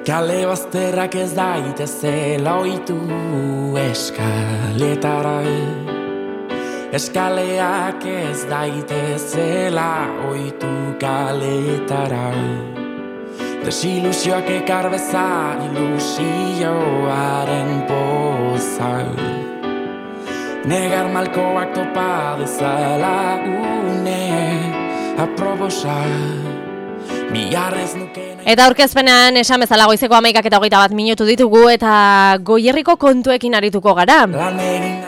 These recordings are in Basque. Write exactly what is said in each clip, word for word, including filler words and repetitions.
Kale bazterrak ez daitezela oitu eskaletara, eskaleak ez daitezela oitu kaletara. Desilusioak ekar beza ilusioaren poza, negar malkoak topa dezala une aprobosa. Eta aurkezpenean esan bezala goizeko hamaikak eta hogeita bat minutu ditugu eta Goierriko kontuekin arituko gara.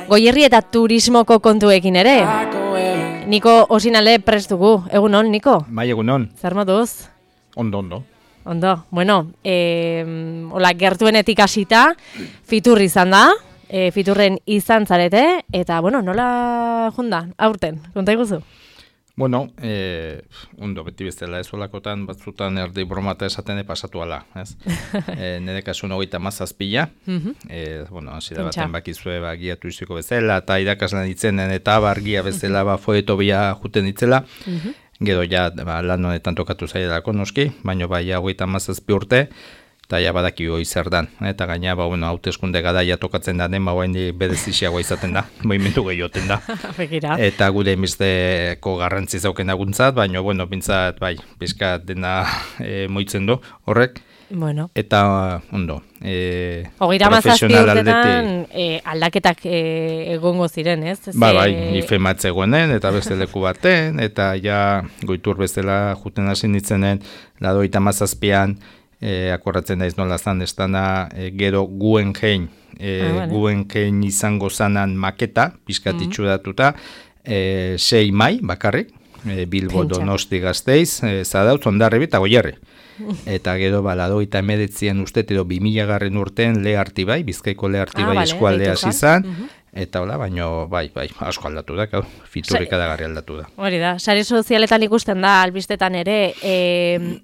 Goierri eta turismoko kontuekin ere. Niko Osinale prestugu. Egunon, Niko? Bai, egunon. Zer moduz? Ondo, ondo. Ondo. Bueno, eh, hola, gertuenetik hasita, fitur izan da, eh, fiturren izan zarete, eta, bueno, nola junda, aurten, konta iguzu? Bueno, eh, ondo, beti bezala ez olakotan, batzutan erdi bromata esaten pasatu ala, ez? e, nire kasun hogeita mazazpila, e, bueno, hasi da baten bakizue ba, gia turistiko bezala, eta irakaslan ditzenen eta bargia bezala ba, foetobia juten ditzela, gero ja ba, lan honetan tokatu zaidelako noski, baina bai hogeita mazazpi urte, eta ja badaki hoi zer dan, eta gaina, ba, bueno, hauteskunde garaia tokatzen da den, ba, bain berezixiagoa izaten da, movimentu gehioten da. Eta gure emizteko garrantzi zauken aguntzat, baina, bueno, bintzat, bai, pizkat dena e, moitzen du, horrek. Bueno. Eta, ondo, e, Hogeira mazazpi urtetan e, aldaketak e, egongo ziren, ez? Ba, bai, ifematze goenen, eta beste leku baten, eta ja goitur bezala juten hasi nitzenen, ladoita mazazpian, E, akorratzen daiz nola zan, ez dana e, gero Guggenheim, e, ah, vale. Guggenheim izango zanan maketa, pizkatitxu datuta, e, sei mai bakarrik, e, Bilbo, Pentsa. Donosti, Gasteiz, e, Zadautz, Hondarribi eta Goierri. Eta gero baladoita emedetzien uste, edo bi mila garren urtean Lehartibai, Bizkaiko Lehartibai ah, eskualdea vale, izan, uh -huh. Eta hola, baino, bai, bai, asko aldatu da, gau, fiturrik adagarri aldatu da. Hori da, sare sozialetan ikusten da, albistetan ere, e,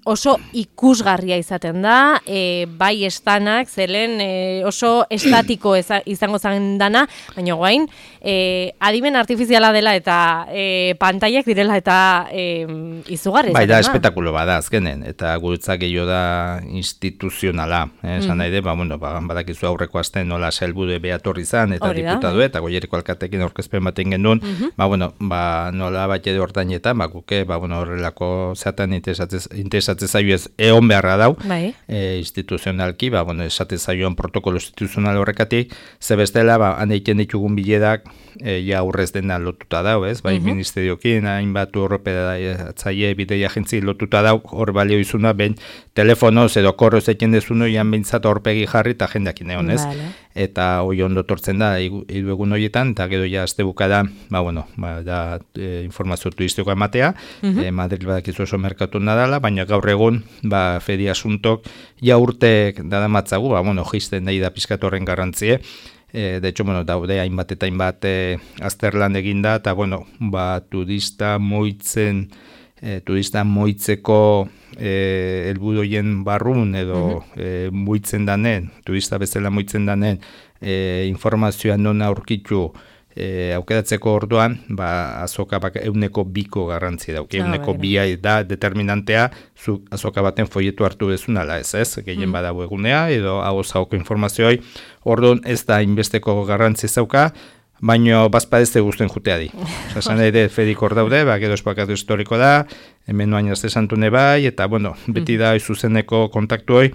oso ikusgarria izaten da, e, bai estanak, zelen e, oso estatiko eza, izango zen dana, baina guain, e, adimen artifiziala dela eta e, pantaiak direla eta e, izugarri. Bai, da, espetakulo bada, azkenen, eta guretzak gehiago da instituzionala, eh, esan mm. nahi de, ba, bueno, ba, badakizu aurreko asten nola sailburu beatorri izan, eta diputatu eta Goierriko alkatekin aurkezpen baten genuen, uh-huh. ba, bueno, ba, nola bat edo hortainetan, ba, guke, ba, bueno, horrelako zeatan interesatzen zaio ez egon beharra dau, bai. e, instituzionalki, ba, bueno, esaten zaioan protokolo instituzional horrekatik, ze bestela, ba, han egiten ditugun biledak, e, ja aurrez dena lotuta dau, ez, bai, uh-huh. ministeriokin, hainbat urropedatzaile bidei agentzi lotuta dau, hor balio izuna, ben, telefonoz edo korroz eken dezuno, jan bintzat horpegi jarri eta jendeakin egon, ez, vale. Eta hoi ondo tortzen da, hiru egun horietan, eta gero ja azte bukada, ba, bueno, ba, da e, informazio turistikoa ematea, uh-huh. e, Madrid badakizu oso merkatu nadala, baina gaur egun, ba, fedi asuntok, ja urtek dadamatzagu, ba, bueno, jisten nahi da pizkatorren garrantzie, e, de hecho, bueno, daude hainbat eta hainbat e, azterlan eginda, eta, bueno, ba, turista moitzen, e, turista moitzeko e, elbudoien barrun, edo uh-huh. e, moitzen danen, turista bezala moitzen danen, E, informazioa non aurkitu e, aukeratzeko orduan, ba, azoka bak, euneko biko garrantzi dauk. Ah, euneko bia da determinantea, zu azoka baten folietu hartu dezunala, ez ez, gehien mm. badago egunea, edo hau zauko informazioi, orduan ez da inbesteko garrantzi zauka, baino bazpadezte guztuen juteadi. Zasan ere, fedik hor daude, ba, gero espakatu historiko da, hemen noain azte santune bai, eta, bueno, beti da zuzeneko kontaktu hoi,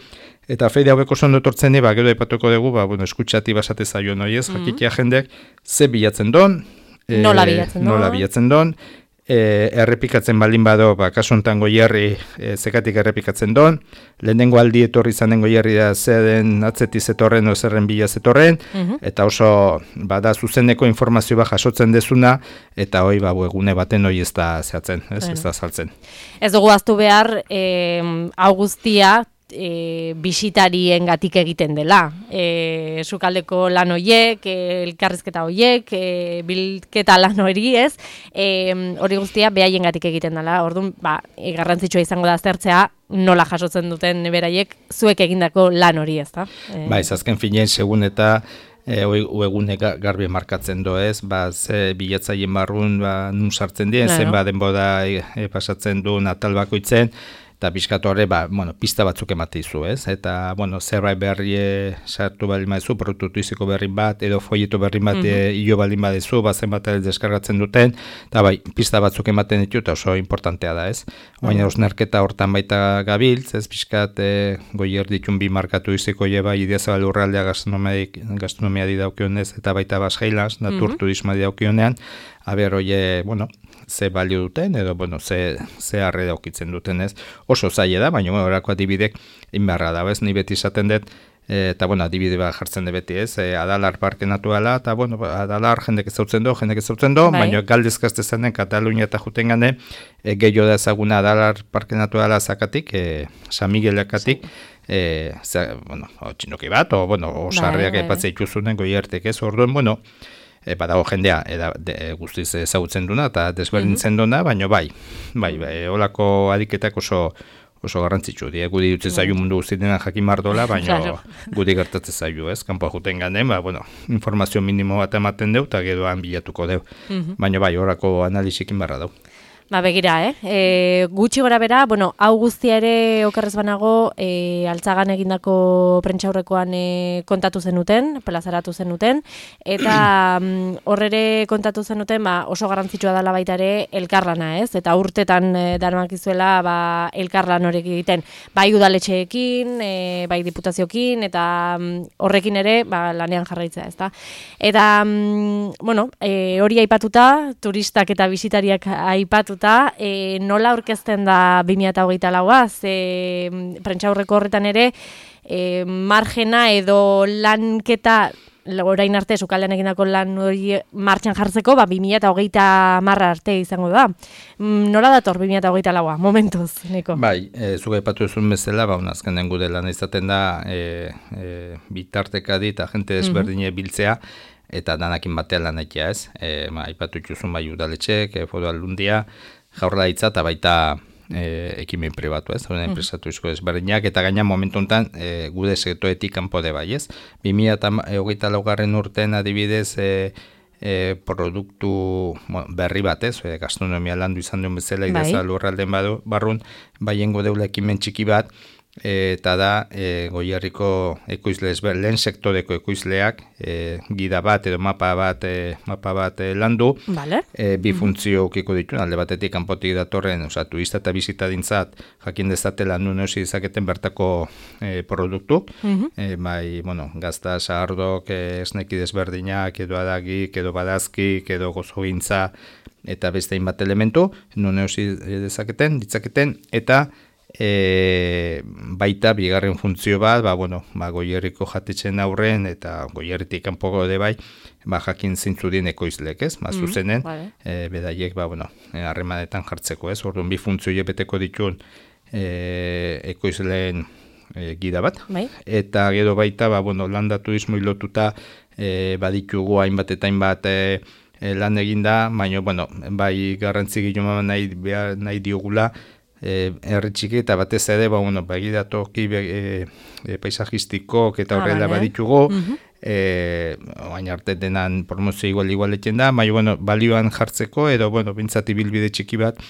eta feide haueko zondo tortzen ba, gero epatuko dugu, ba, bueno, eskutxati basate zaio noiez, mm-hmm. jakitea jendek, ze bilatzen don, e, nola bilatzen don, nola bilatzen don, e, errepikatzen baldin bado, ba, kasuntan Goierri e, zekatik errepikatzen don, lehenengo aldi etorri zanen Goierri da zeden atzetiz etorren o zerren bila zetorren, mm-hmm. eta oso, bada zuzeneko informazio ba jasotzen dezuna, eta hoi, ba, egune baten hoi ez da zehatzen, ez, bueno. ez da saltzen. Ez dugu aztu behar, eh, augustia, E, bisitarien gatik egiten dela. E, sukaldeko lan hoiek, e, elkarrizketa hoiek, e, bilketa lan hori ez, e, hori guztia behaien gatik egiten dela. Orduan, ba, e, garrantzitsua izango da aztertzea, nola jasotzen duten beraiek zuek egindako lan hori ez da. E, ba, ez azken finean, segun eta E, egune garbi markatzen do ez, ba, ze bilatzaien barrun ba, nun sartzen dien, no, zenba no. denbora e, pasatzen du natal bakoitzen, eta pixkat horre, ba, bueno, pista batzuk emate izu, ez? Eta, bueno, zerbait berri sartu balin badezu, produktu tuiziko berrin bat, edo folieto berrin bat mm-hmm. hilo balin badezu, bazen bat deskargatzen duten, eta bai, pista batzuk ematen ditu, eta oso importantea da, ez? Baina osnerketa hortan baita gabiltz, ez? Pixkat e, goier ditun bi markatu iziko eba, Idiazabal Lurraldea gastronomia di daukionez, eta baita Basjailas, natur mm-hmm. turisma di daukionean, aber, oie, bueno, ze balio duten, edo, bueno, ze, ze arre daukitzen duten, ez? Oso zaila da, baina, bueno, horako adibidek inbarra da, ez? Ni beti izaten dut, e, eta, bueno, adibide bat jartzen dut beti, ez? E, Adalar parke naturala, eta, bueno, Adalar jendek ezautzen do, jendek ezautzen do, bai. Baina galdezkazte zanen, Katalunia eta juten gane, e, gehiago da ezaguna Adalar parke naturala zakatik, e, San Miguelakatik, e, ze, bueno, txindoki bat, o, bueno, osarriak bai, epatzea ikusunen goiertek, ez? Orduen, bueno, E, badago jendea eda, de, guztiz ezagutzen duna eta desberdintzen duna, baina bai, bai, bai, holako adiketak oso oso garrantzitsu, die, gudi dutzen zaiu mundu guztietan jakin mardola, baina claro. Gudi gertatzen zaiu, ez, kanpoa juten ganen, ba, bueno, informazio minimo bat ematen deu, eta geroan bilatuko deu, mm-hmm. Baina bai, horako analisikin barra dau. Ba, begira, eh? E, gutxi gora bera, bueno, hau guztia ere okerrez banago, e, altzagan egindako prentxaurrekoan e, kontatu zenuten, plazaratu zenuten, eta horrere kontatu zenuten, ba, oso garrantzitsua dela baita ere elkarlana, ez? Eta urtetan e, darmak izuela, ba, elkarlan horrek egiten, bai udaletxeekin, e, bai diputazioekin, eta horrekin ere, ba, lanean jarraitzea, ezta? Eta, bueno, e, hori aipatuta, turistak eta bisitariak aipatuta, E, nola aurkezten da bi mila hogeita laua, ze prentxaurreko horretan ere e, margena edo lanketa orain arte sukaldean egindako lan hori martxan jartzeko, ba, bi mila hogeita marra arte izango da. Nola dator bi mila hogeita laua, momentuz, Niko? Bai, e, zuga ipatu ezun bezala, ba, azkenen gude lan izaten da e, e, bitartekadi eta jente desberdine mm-hmm. biltzea, eta danakin batean lan egitea, ez? E, ma, ipatu ituzun bai udaletxek, e, foru aldundia, jaurlaritza eta baita e, ekimen pribatu, ez? Horren enpresatu izko ezberdinak, eta gaina momentu honetan e, gude sektoretik kanpo de bai, ez? bi mila hogeita laugarren urtean adibidez e, e, produktu bueno, berri bat, ez? E, gastronomia landu izan duen bezala, bai. Idazabal Lurralden badu, barrun, baiengo deula ekimen txiki bat, eta da e, Goierriko ekoizle lehen sektoreko ekoizleak e, gida bat edo mapa bat e, mapa bat e, landu vale. e, bi funtzio ukiko ditu, alde batetik kanpotik datorren, osea, turista eta bisitadintzat jakin dezatela nun eusi dezaketen bertako e, produktuk, mm-hmm. e, bai, bueno, gazta, sahardok, e, esneki desberdinak, edo adagik, edo badazkik, edo gozogintza, eta beste hainbat elementu, nun eusi dezaketen, ditzaketen, eta E, baita bigarren funtzio bat, ba, bueno, ba, Goierriko jatetzen aurren eta Goierritik kanpoko de bai, ba, jakin zintzu dien ekoizlek, ez? Ba, zuzenen, mm, vale. e, bedaiek, ba, bueno, harremanetan jartzeko, ez? Orduan bi funtzio beteko ditun e, ekoizleen e, gida bat. Bai. Eta gero baita, ba, bueno, landa turismo ilotuta e, baditugu hainbat eta hainbat e, e, lan eginda, baina, bueno, bai garrantzi giluma nahi, behar, nahi diogula, E, herri txiki eta batez ere, ba, bueno, begiratoki be, e, e, paisajistikok eta horrela ah, vale. Baditugu, mm-hmm. e, oain arte denan promozio igual igualetzen da, baina, bueno, balioan jartzeko, edo, bueno, bintzati bilbide txiki bat,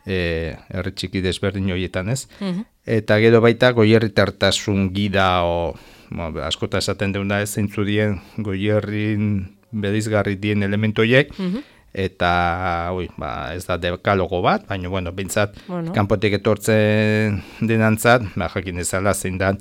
e, herri txiki desberdin horietan, ez? Mm-hmm. Eta gero baita, goierritartasun gida, o, bueno, askota esaten deuna ez, zeintzu dien, goierrin bedizgarri dien elementoiek, mm-hmm. Eta, ui, ba, ez da dekalogo bat, baina, bueno, bintzat, bueno. Kanpotik etortzen denantzat, ba, jakin ezala zein dan,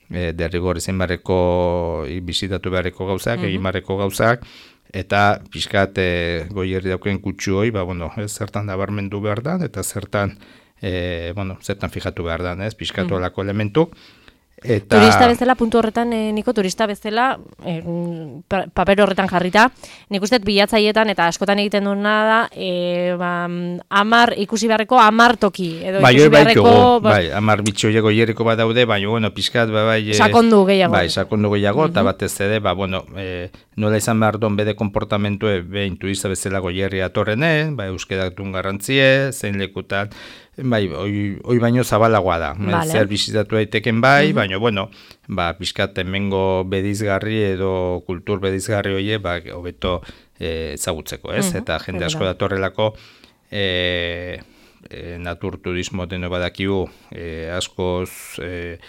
e, derrigor izan barreko, bizitatu beharreko gauzak, mm-hmm. egin barreko gauzak, eta pixkat e, Goierri dauken kutsu hoi, ba, bueno, ez, zertan nabarmendu behar da, eta zertan, e, bueno, zertan fijatu behar da, ez, pixkatu mm-hmm. alako elementu. Eta... Turista bezala, puntu horretan, e, Niko, turista bezala, e, paper horretan jarrita, nik uste bilatzaietan eta askotan egiten duena da, e, ba, amar, ikusi beharreko amar toki. Edo bai, ikusi beharreko, bai, bai, amar bitxoiego hieriko bat daude, baina, bueno, pixkat, bai, bai, e, sakondu gehiago. Bai, sakondu gehiago, eta mm-hmm. batez ere, ba, bueno, e, nola izan behar duen bede komportamentue, behin turista bezala Goierri atorrene, bai, euskerak duen garrantzie, zein lekutan, bai, oi, oi baino zabalagoa da. Vale. Zer bizitatu daiteken bai, mm-hmm. baina, bueno, ba, pixkat hemengo bedizgarri edo kultur bedizgarri hoie, ba, hobeto e, ezagutzeko, ez? Mm-hmm. Eta jende asko datorrelako, e, e, naturturismo deno badakigu, e, askoz... E,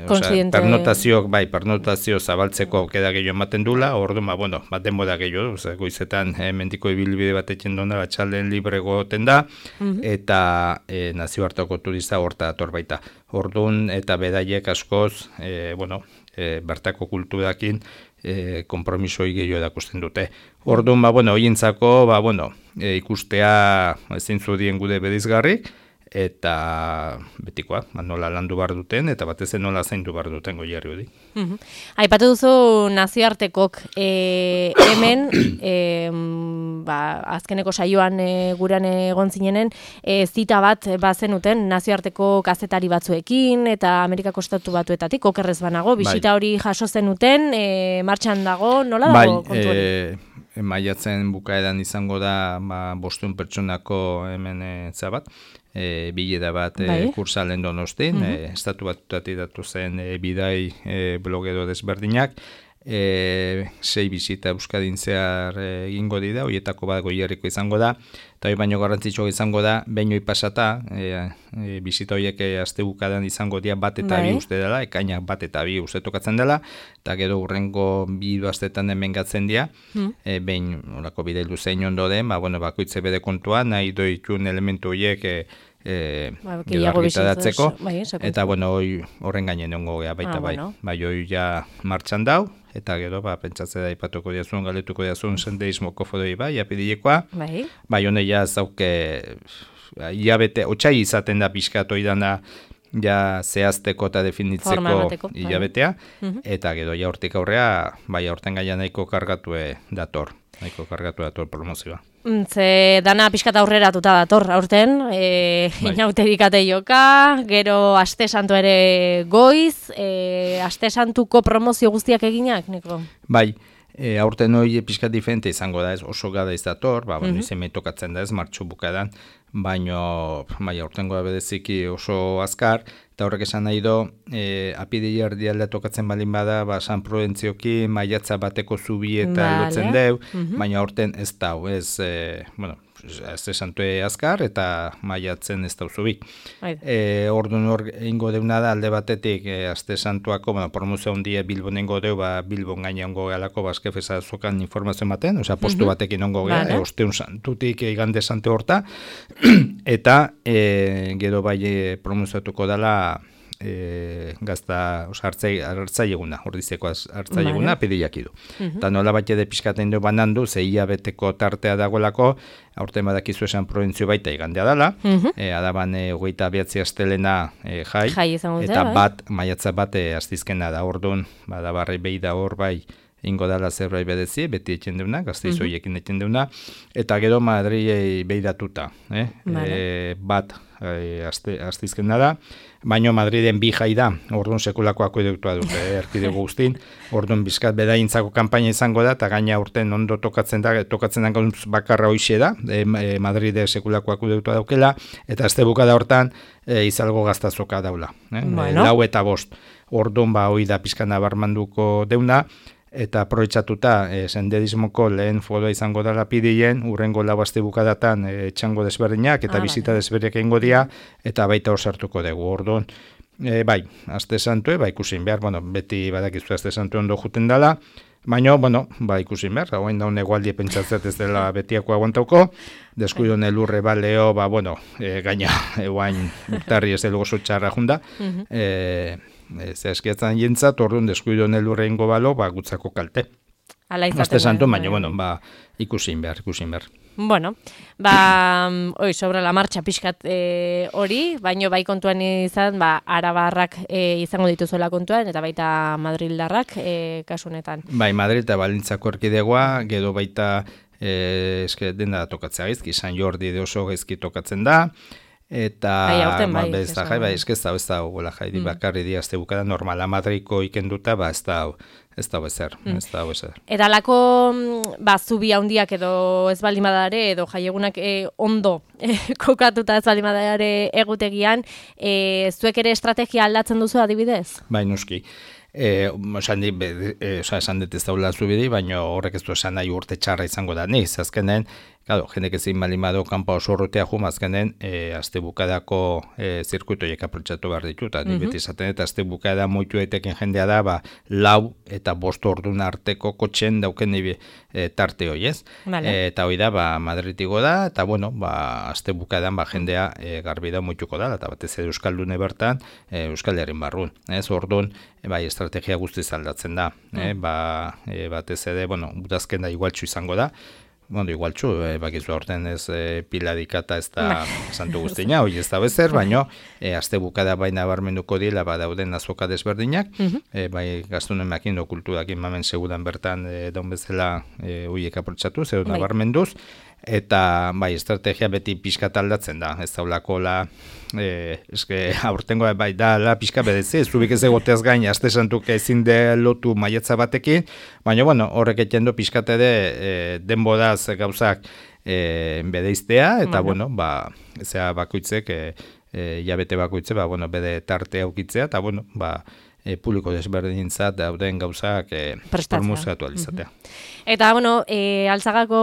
Osea, pernotazioak, bai, pernotazio zabaltzeko aukera gehiago ematen dula, orduan, ba, bueno, bat denbora gehiago, osea, goizetan e, mendiko ibilbide bat etxen dona, batxalden libre goten da, mm-hmm. eta e, nazioarteko turista horta dator baita. Orduan, eta bedaiek askoz, e, bueno, e, bertako kulturakin, e, kompromisoi gehiago erakusten dute. Orduan, ba, bueno, hoientzako, ba, bueno, e, ikustea ezin zudien gude berizgarrik, eta betikoa, nola landu behar duten, eta batez nola zaindu behar duten goierri hori. Mm-hmm. Aipatu duzu nazioartekok e, hemen, e, ba, azkeneko saioan e, guran egon zinenen, e, zita bat bazenuten nazioarteko kazetari batzuekin, eta Amerikako Estatu Batuetatik, okerrez banago, bisita hori jaso zenuten, e, martxan dago, nola dago kontu hori? Bai, e, maiatzen bukaeran izango da ba, bostehun pertsonako hemen e, zabat, E, bileda bat e, kursalen donostin, mm-hmm. e, estatu batutatik datu zen e, bidai e, blogero desberdinak, e, sei bizita Euskadin zehar egingo e, dira, horietako bat goierriko izango da, eta hori baino garrantzitsua izango da, behin hoi pasata, e, e, bizita horiek aste bukadan izango dira bat eta bi uste dela, ekainak bat eta bi uste tokatzen dela, eta gero urrengo bi astetan hemen gatzen dira, mm. e, behin horako bideilu zein ondo den, ba, bueno, bakoitze bede kontua, nahi doitun elementu horiek e, e, ba, gero argitaratzeko, bai, eta bueno, horren gainen ongo gea baita ah, bai, bueno. Bai, hoi ja martxan dau, eta gero, ba, pentsatzea da ipatuko diazun, galetuko diazun, sendeismoko fodoi bai, apidilekoa, bai, bai hone ja zauke, hilabete, otxai izaten da pixkat oidana, ja zehazteko eta definitzeko hilabetea, bai. Eta gero ja hortik aurrea, bai aurten gaia nahiko kargatue dator, nahiko kargatu dator promozioa. Ze dana pixkat aurreratuta dator, aurten, e, bai. Inauterikate joka, gero Aste Santu ere goiz, e, Aste Santuko promozio guztiak eginak, Niko? Bai, e, aurten hori pixkat diferente izango da ez, oso gada izator, ba, mm-hmm. izan tokatzen da ez, martxu bukadan, baino, bai, aurtengoa bedeziki oso azkar, eta horrek esan nahi do, e, apidei erdialda tokatzen balin bada, ba, San Prudentzioki maiatza bateko zubi eta vale. Lotzen deu, mm-hmm. baina aurten ez dau, ez, e, bueno, ez esantue azkar, eta maiatzen ez dau zubi. E, orduan hor ingo deuna da, alde batetik, e, Aste Santuako, bueno, promozio handia Bilbon ingo deu, ba, Bilbon gaina ongo gehalako, bazkefeza zokan informazio ematen, osea, postu mm-hmm. batekin ongo geha, vale. e, osteun santutik, e, igande sante horta, eta e, gero bai e, promozioatuko dela e, gazta, oza, hartzai eguna, ordizeko hartzai eguna, pediak idu. Uh-huh. Eta nola bat ede pixkaten du banandu, ze hilabeteko tartea dagoelako, aurten badakizu esan probentzio baita igandea dela, uh-huh. e, adaban e, hogeita abiatzi astelena e, jai, jai eta bai. bat, maiatza bat e, astizkena da, orduan, badabarri behi da hor bai, ingo dala zerbait bedezi, beti etxen deuna, gazteizoiekin etxen deuna, eta gero Madrilei behiratuta, eh? Vale. E, bat e, astizkena da, baino Madriden bi jai da, orduan sekulako akueduktua dute, eh, erkidego guztin, orduan bizkat bedaintzako kanpaina izango da, eta gaina urten ondo tokatzen da, tokatzen da bakarra hoixe da, e, e, Madride sekulako akueduktua daukela, eta azte bukada hortan e, izalgo gaztazoka daula, eh? Bueno. E, lau eta bost, orduan ba hoi da pizkana barmanduko deuna, eta aprobetxatuta e, senderismoko lehen foroa izango dela pidien, urrengo lau aste bukadatan e, txango desberdinak eta ah, bizita desberdinak egingo dira, eta baita hor sartuko dugu. Orduan, e, bai, Aste Santue, ba ikusin behar, bueno, beti badakizu Aste Santue ondo juten dela, baina, bueno, ba ikusin behar, hauen daun egualdi pentsatzet ez dela betiako aguantauko, deskuido nelurre baleo, ba, bueno, e, gaina, eguain urtarri ez delo oso txarra junda, e, ez eskiatzen jentzat, orduan deskuido nelurre ingo balo, ba, gutzako kalte. Aste Santu, baina, bueno, ba, ikusin behar, ikusin behar. Bueno, ba, oi, sobre la marcha pixkat e, hori, baino bai kontuan izan, ba, arabarrak e, izango dituzuela kontuan, eta baita madrildarrak e, kasunetan. Bai, Madrid eta Balintzako erkidegoa, gero baita, e, eske dena tokatzea gaizki, San Jordi de oso gaizki tokatzen da, eta bai, ba, bai, ez da, jai, bai, ez da, ez da, gola, jai, mm. bakarri diazte bukada, normala Madriko ikenduta, ba, ez da, ez dago ezer, mm. ez dago ezer. Eta lako, ba, zubi handiak edo ez baldin badare, edo jaiegunak e, ondo e, kokatuta ez baldin badare egutegian, e, zuek ere estrategia aldatzen duzu adibidez? Bai, noski. Eh, esan dit, eh, esan dit ez daula zubidi, baina horrek ez du esan nahi urte txarra izango da niz, azkenen, claro, jendek ezin malimado kanpa oso urrutea jum, azkenen, eh, azte bukadako eh, zirkuitoiek aprotxatu behar ditu, eta mm -hmm. beti esaten, eta azte bukada moitu eteken jendea da, ba, lau eta bost ordun arteko kotxen dauken e, tarte hoi, ez? Vale. E, eta hoi da, ba, Madritigo da, eta bueno, ba, azte bukadan, ba, jendea e, garbi da moituko da, eta batez ere Euskaldune bertan, e, Euskal Herrin barrun, ez? Orduan, e, bai, estrategia guztiz aldatzen da, mm. eh? ba, e, batez ere, bueno, udazken da igualtxu izango da, bueno, igualtxu, e, bakizu aurten ez e, piladikata ez da santu guztina, hoi ez da bezer, baino, e, azte bukada baina barmenduko dila, ba, dauden azoka desberdinak, mm -hmm. e, bai, gaztunen makindo kulturakin mamen segudan bertan, e, daun bezala, e, hoiek aprotxatu, zer bai. Barmenduz, eta bai, estrategia beti pixka aldatzen da, ez daulako la, e, eske, aurtengo bai da, la pixka bedezi, ez zubik ez egoteaz gain, aste santuk ezin de lotu maiatza batekin, baina, bueno, horrek etxendo pixkat ere e, denbodaz gauzak e, bedeiztea, eta, bueno, ba, zea bakoitzek, e, e, jabete bakoitze, ba, bueno, bede tarte aukitzea, eta, bueno, ba, E, publiko desberdintzat dauden gauzak e, promozatu alizatea. Mm-hmm. Eta, bueno, e, Altzagako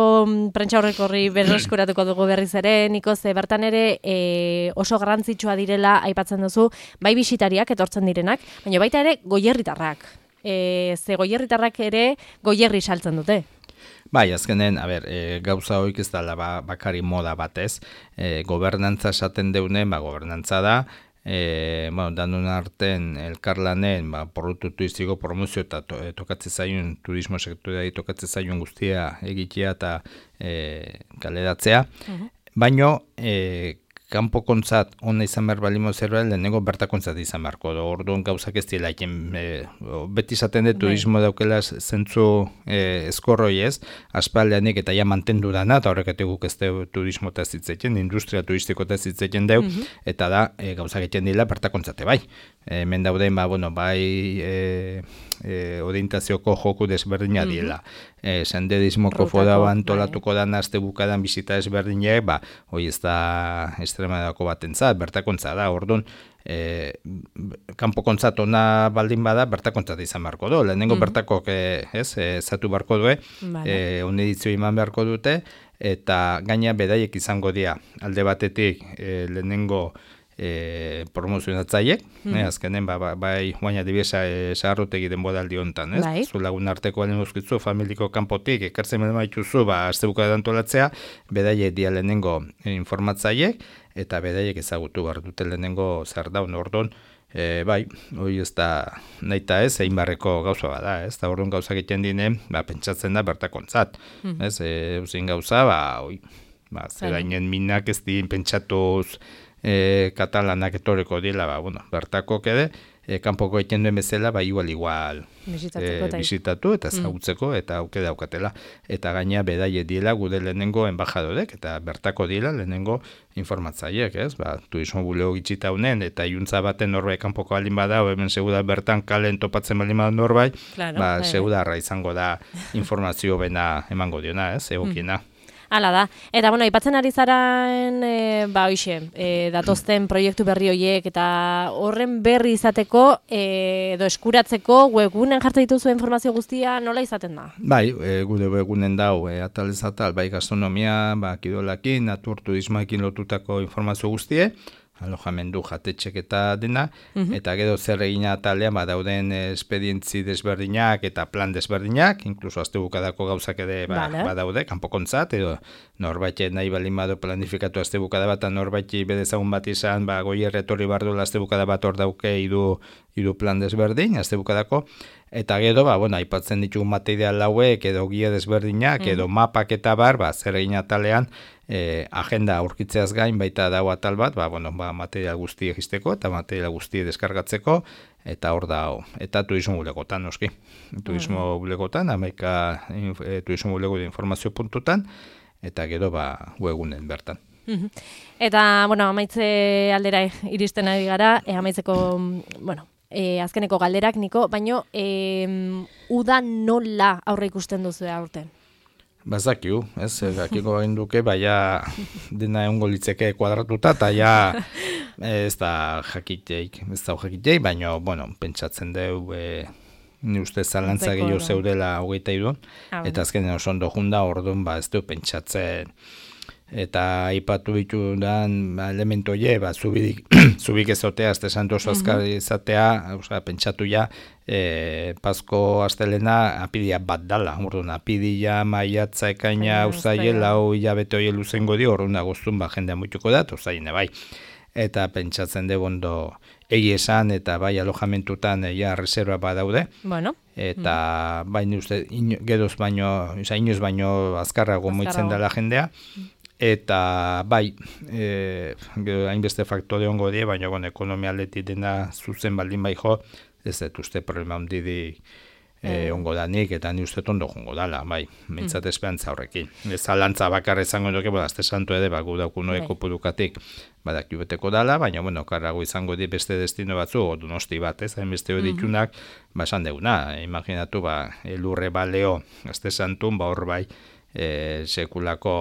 prentsa horrekorri berreskuratuko dugu berriz ere, Niko, ze bertan ere e, oso garrantzitsua direla aipatzen duzu, bai bisitariak etortzen direnak, baina baita ere goierritarrak. E, ze goierritarrak ere goierri saltzen dute. Bai, azkenen, a ber, e, gauza hoik ez da ba, bakari moda batez, e, gobernantza esaten deunen, ba, gobernantza da, E, bueno, danun arten elkarlanen ba, porrutu tuiziko promozio eta to, e, tokatzen zaiun turismo sektoreari tokatzen zaiun guztia egitea eta e, kaleratzea. Uh-huh. Baino, e, kanpo kontzat ona izan behar balimo zerbait, lehenengo bertakontzat izan beharko da. Orduan gauzak ez dira, e, beti izaten de turismo daukela zentzu e, eskorroi ez, aspaldeanik eta ja mantendu dana, eta horrek guk ez deu turismo eta zitzeken, industria turistiko eta zitzeken deu, mm-hmm. eta da e, gauzak egiten dira bertakontzate bai. E, men dauden, ba, bueno, bai e, e, orientazioko joku desberdina mm-hmm. diela. E, sendedismoko foda antolatuko bai. Dan aste bukadan bizita desberdinak, ba, hoi ez da Extremadako batentzat, bertakontza da, orduan, e, kanpo kontzat ona baldin bada, bertakontzat izan beharko du. Lehenengo mm-hmm. bertakok, e, ez, e, zatu beharko due, vale. e, onedizio iman beharko dute, eta gaina bedaiek izango dira. Alde batetik, e, lehenengo E, promozionatzaiek, mm. eh, azkenen ba, ba, bai guaina dibiesa e, saharrotegi denbodaldi hontan, ez? Bai. Zu lagun arteko alen uzkitzu, familiko kanpotik, ekartzen beden maituzu, ba, azte buka antolatzea, bedaiek dia lehenengo informatzaiek, eta bedaiek ezagutu behar dute lehenengo zer daun, orduan, e, bai, hori ez da nahi eta ez, egin barreko gauza bada, ez? Da orduan gauza egiten dinen, ba, pentsatzen da bertakontzat, mm. ez? E, uzin gauza, ba, oi, ba, zerainen minak ez din pentsatuz, E, katalanak etoreko dila, ba, bueno, bertako kede, e, kanpoko egiten duen bezala, ba, igual, igual e, bisitatu eta zagutzeko, mm. eta auke daukatela. Eta gaina bedaie dila gude lehenengo embajadorek, eta bertako dila lehenengo informatzaiek, ez? Ba, turismo bulego gitxita honen, eta iuntza baten norbait kanpoko alin bada, hemen seguda bertan kalen topatzen balin bada norbait, claro, ba, segudarra izango da informazio bena emango diona, ez? Egokiena. Mm. Hala da. Eta, bueno, aipatzen ari zaren, e, ba, hoxe, e, datozten proiektu berri horiek, eta horren berri izateko, e, edo eskuratzeko, webgunen jartzen dituzu informazio guztia, nola izaten da? Bai, e, gude webgunen dau, e, atal ez atal, bai, gastronomia, ba, kirolakin, natur turismoekin lotutako informazio guztie, alojamendu jatetxek eta dena, mm-hmm. eta gero zer egina atalean ba, dauden espedientzi desberdinak eta plan desberdinak, inkluso azte bukadako gauzak ere ba, vale. Badaude, kanpokontzat, edo norbait nahi balin badu planifikatu azte bukada bat, norbait bedezagun bat izan, ba, goi erretorri bardu azte bukada bat hor dauke idu, idu plan desberdin, azte bukadako, eta gero, ba, bueno, aipatzen ditugu material hauek, edo guia desberdinak, mm. edo mapak eta bar, ba, zer egin atalean, E, agenda aurkitzeaz gain baita dago atal bat, ba, bueno, ba, material guzti egisteko eta material guzti deskargatzeko, eta hor da, eta turismo bulegotan, noski. Turismo bulegotan, amaika e, turismo bulego de informazio puntutan, eta gero ba, webunen bertan. Eta, bueno, amaitze aldera iristen ari gara, e, amaitzeko, bueno, e, azkeneko galderak, Niko, baino e, uda nola aurre ikusten duzu aurten? Bazakiu, ez, dakiko egin duke, baina dena egongo litzeke kuadratuta, eta ja ez da jakiteik, ez da jakiteik, baina, bueno, pentsatzen deu, e, ni uste zalantza gehiago zeudela hogeita irun, ah, eta azkenean oso ondo junda, orduan, ba, ez du pentsatzen, eta aipatu ditudan ba, elementu hie, ba, zubidik, zubik ezotea, azte santu oso azkar izatea, osea, pentsatu ja, e, Pasko astelena apidia bat dala, orduan, apidia, maiatza, ekaina, uzaile, lau hilabete hori luzengo di, orduan agostun, ba, jendea muituko da, uzaile, bai. Eta pentsatzen dugu ondo egi esan eta bai alojamentutan ja reserva badaude. Bueno. Eta mm. baina uste ino, geroz baino, oza, inoz baino azkarrago moitzen dela jendea. Eta bai, e, hainbeste faktore ongo die, baina bon, ekonomia aldetik dena zuzen baldin bai jo, ez dut uste problema ondidi E, ongo danik, eta ni uste tondo jongo dala, bai, mintzat mm. esperantza horrekin. Ez alantza bakar izango duke, bueno, azte santu ere, bagu daukunoeko purukatik, badak jubeteko dala, baina, bueno, karrago izango di beste destino batzu, o Donosti bat, ez, hain beste hori ditunak, mm. ba, esan deuna, imaginatu, ba, elurre baleo, azte santun, ba, hor bai, e, sekulako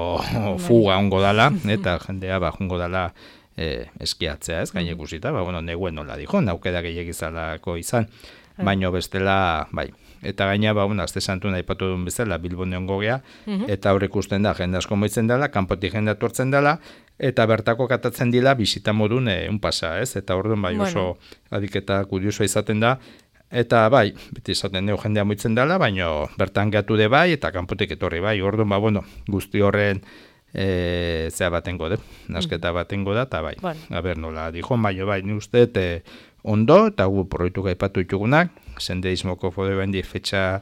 fuga ongo dala, eta jendea, ba, jongo dala, e, eskiatzea, ez, gaine ikusita, ba, bueno, neguen nola dijo, naukeda gehiagizalako izan, baino bestela, bai. Eta gaina, ba, bueno, azte santu nahi patu duen bezala, Bilbon egon gogea, mm-hmm. eta hor ikusten da, jende asko moitzen dela, kanpotik jende atortzen dela, eta bertako katatzen dila, bisita modun e, un pasa, ez? Eta orduan, bai, oso bueno. Adiketa kuriosoa izaten da, eta bai, beti izaten dugu jendea moitzen dela, baino bertan gatu de bai, eta kanpotik etorri bai, orduan, ba, bueno, guzti horren, E, zea batengo de, nasketa batengo da, eta bai, bueno. A ber, nola, dijo, baino bai, ni uste, e, ondo, eta gu proiektu gaipatu ditugunak, senderismoko fode bendi fetxa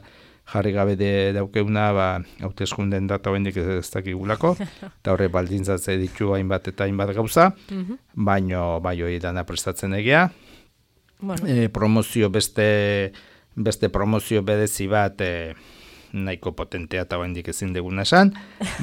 jarri gabe de daukeuna, ba, hauteskunden data bendik ez dakigulako, eta horre baldintzatze ditu hainbat eta hainbat gauza, mm-hmm. baino, bai, hori dana prestatzen egia, bueno. e, promozio beste, beste promozio bedezi bat, e, nahiko potentea eta bendik ezin deguna esan,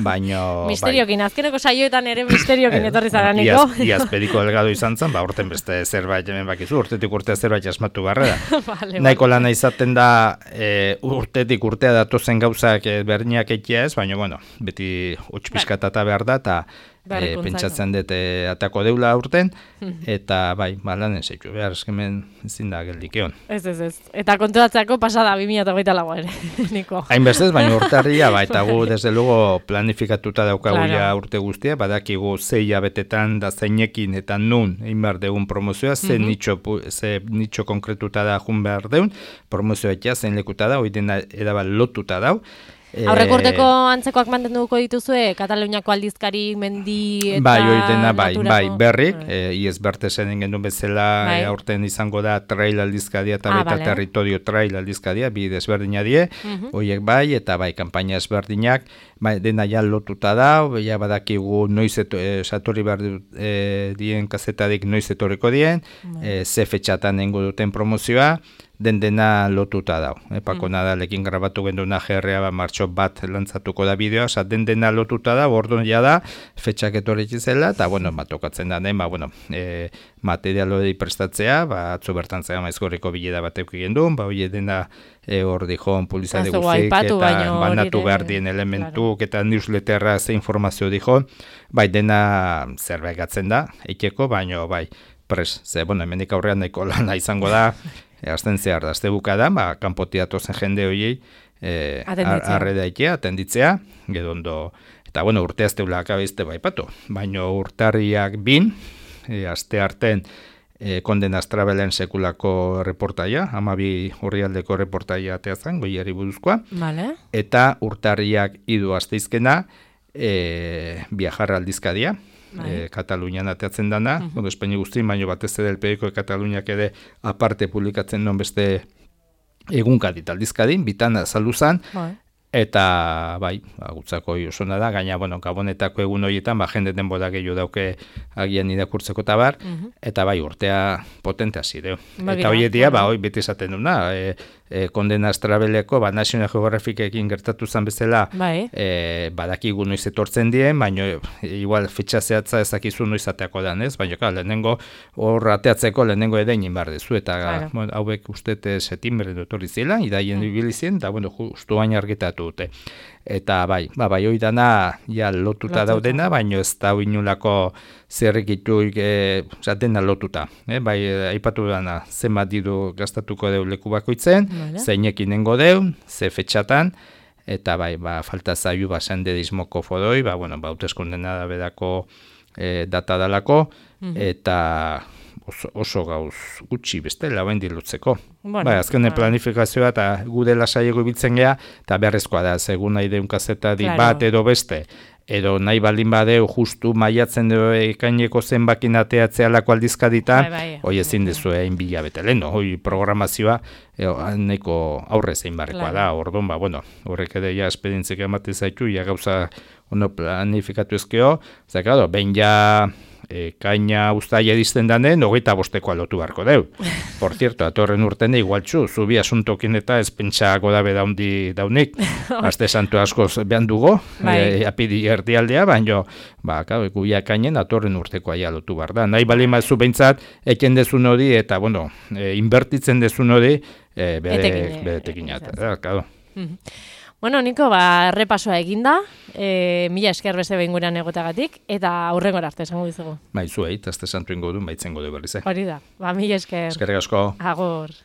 baino... Misteriokin, bai. Azkeneko saioetan ere misteriokin etorri zaraniko. Iaz, iazpediko delgado izan zen, ba, urten beste zerbait hemen bakizu, urtetik urtea zerbait asmatu garrera. vale, nahiko vale. Lana izaten da, e, urtetik urtea datozen gauzak e, berniak eitea ez, baina, bueno, beti utxpiskatata behar da, eta e, pentsatzen dut e, atako deula urten, eta bai, balanen zeitu, behar eskemen ezin da geldikeon. Ez, ez, ez. Eta kontuatzeko pasada bi mila hogeita lau ere, Niko. Hainbestez, baina urtarria, ba, eta gu, desde luego, planifikatuta daukagu claro. Ja urte guztia, badakigu zei abetetan da zeinekin eta nun egin behar deun promozioa, ze, mm-hmm. nitxo, ze nitxo konkretuta da jun behar deun, promozioa etia zein lekuta da, hori dena edabal lotuta dau. Aurreko urteko antzekoak mantenduko dituzue, Kataluniako aldizkari, mendi eta bai, hori dena, bai, bai, berrik, bai. E, iez bertezen genuen bezala, bai. E, aurten izango da trail aldizkadia eta ah, baita vale. Territorio trail aldizkadia, bi desberdina die, uh-huh. horiek bai, eta bai, kanpaina ezberdinak, bai, dena ja lotuta da, ja badakigu noiz eto, e, satori behar e, dien kazetadik noiz etorriko dien, uh-huh. e, ze fetxatan nengo duten promozioa, den dena lotuta dau. Epako mm. Nadalekin grabatu genduna G R A ba, martxo bat lantzatuko da bideoa, oza, den dena lotuta da, orduan ja da, fetxak etorri zela, eta, bueno, bat tokatzen da, den, ba, bueno, e, material hori prestatzea, ba, atzo bertan zera maizgorriko bileda bat eukigen duen, ba, hori dena e, hor dijon pulizade guzik, eta banatu behar dien elementuk, claro. Eta newsletterra ze informazio dijon, bai, dena zerbait gatzen da, eiteko, baino, bai, pres, ze, bueno, hemenik aurrean nahiko lana izango da, E, azten zehar da, azte buka ba, kanpotiatu zen jende horiei, e, arre daitea, atenditzea, gedondo, eta bueno, urte azte ulaka bezte baipatu, baino urtarriak bin, e, azte arten, e, Kondenaz Travelen sekulako reportaia, amabi horrialdeko reportaia ateazan, goiari buruzkoa, vale. Eta urtarriak idu azteizkena, e, viajar aldizkadia, E, Katalunian ateatzen dana, uh-huh. bueno, Espaini guztien, baino batez ere el periodiko de Kataluniak ere aparte publikatzen non beste egunkadit aldizkadin, bitan azaldu zan, bai. Eta bai, gutzako osona da, gaina, bueno, Gabonetako egun horietan, ba, jende denbora gehiago dauke agian irakurtzeko eta bar, uh-huh. eta bai, urtea potente hasi deu. Ba, eta horietia, ba, hoi beti esaten duna, e, e, Kondena Astrabeleko, ba, National Geographikekin gertatu zen bezala, bai. e, badakigu noiz etortzen dien, baina igual fetxa zehatza ezakizu noiz ateako da, ez? Baina, ka, lehenengo hor ateatzeko lehenengo edein barde zu, eta claro. bueno, hauek ustete septiembre etorri zela, idaien mm. ibili zien, eta bueno, justu baina argitatu dute. Eta bai, ba, bai hoi dana ja lotuta Lotuta. Daudena, baina ez da inulako zerrikituik e, dena lotuta. E, bai, aipatu dana, zenbat diru gastatuko deu leku bakoitzen, vale. Zeinekin nengo deu, ze fetxatan, eta bai, ba, falta zaiu basen dedismoko fodoi, ba, bueno, ba, hauteskundena da bedako e, data dalako, mm-hmm. eta oso, oso gauz gutxi bestela bain dilutzeko. Bueno, bai, azkenen ah. planifikazioa eta gude lasaiego ibiltzen gea, eta beharrezkoa da, segun nahi deun kazeta di claro. bat edo beste, edo nahi baldin badeu justu maiatzen edo ekaineko zenbakin ateatzea lako aldizkaditan, bai, bai, hoi ezin dezu egin bila bete lehen, hoi programazioa e, neko aurre zein barrekoa claro. da, ordon, ba, bueno, horrek ere ja esperientzik ematen zaitu, ja gauza ono planifikatu ezkeo, zekado, behin ja E, kaina uztaia edizten danen, hogeita bostekoa lotu barko deu. Por cierto, atorren urtene igualtxu, zubi asuntokin eta ez pentsako dabe daundi daunik. Aste santu askoz behan dugo, e, apidi erdialdea, baino, ba, guia kainen atorren urtekoa ja lotu bar da. Nahi bali mazu behintzat, eken dezun hori, eta, bueno, e, inbertitzen dezun hori, e, bere tekinat. Bueno, Niko, ba, errepasoa eginda, e, mila esker beste behin gurean egotagatik, eta aurrengora arte esango dizugu. Bai, zuei, azte santu ingo du, baitzen gode berriz, eh? Hori da, ba, mila esker. Eskerrik asko. Agur.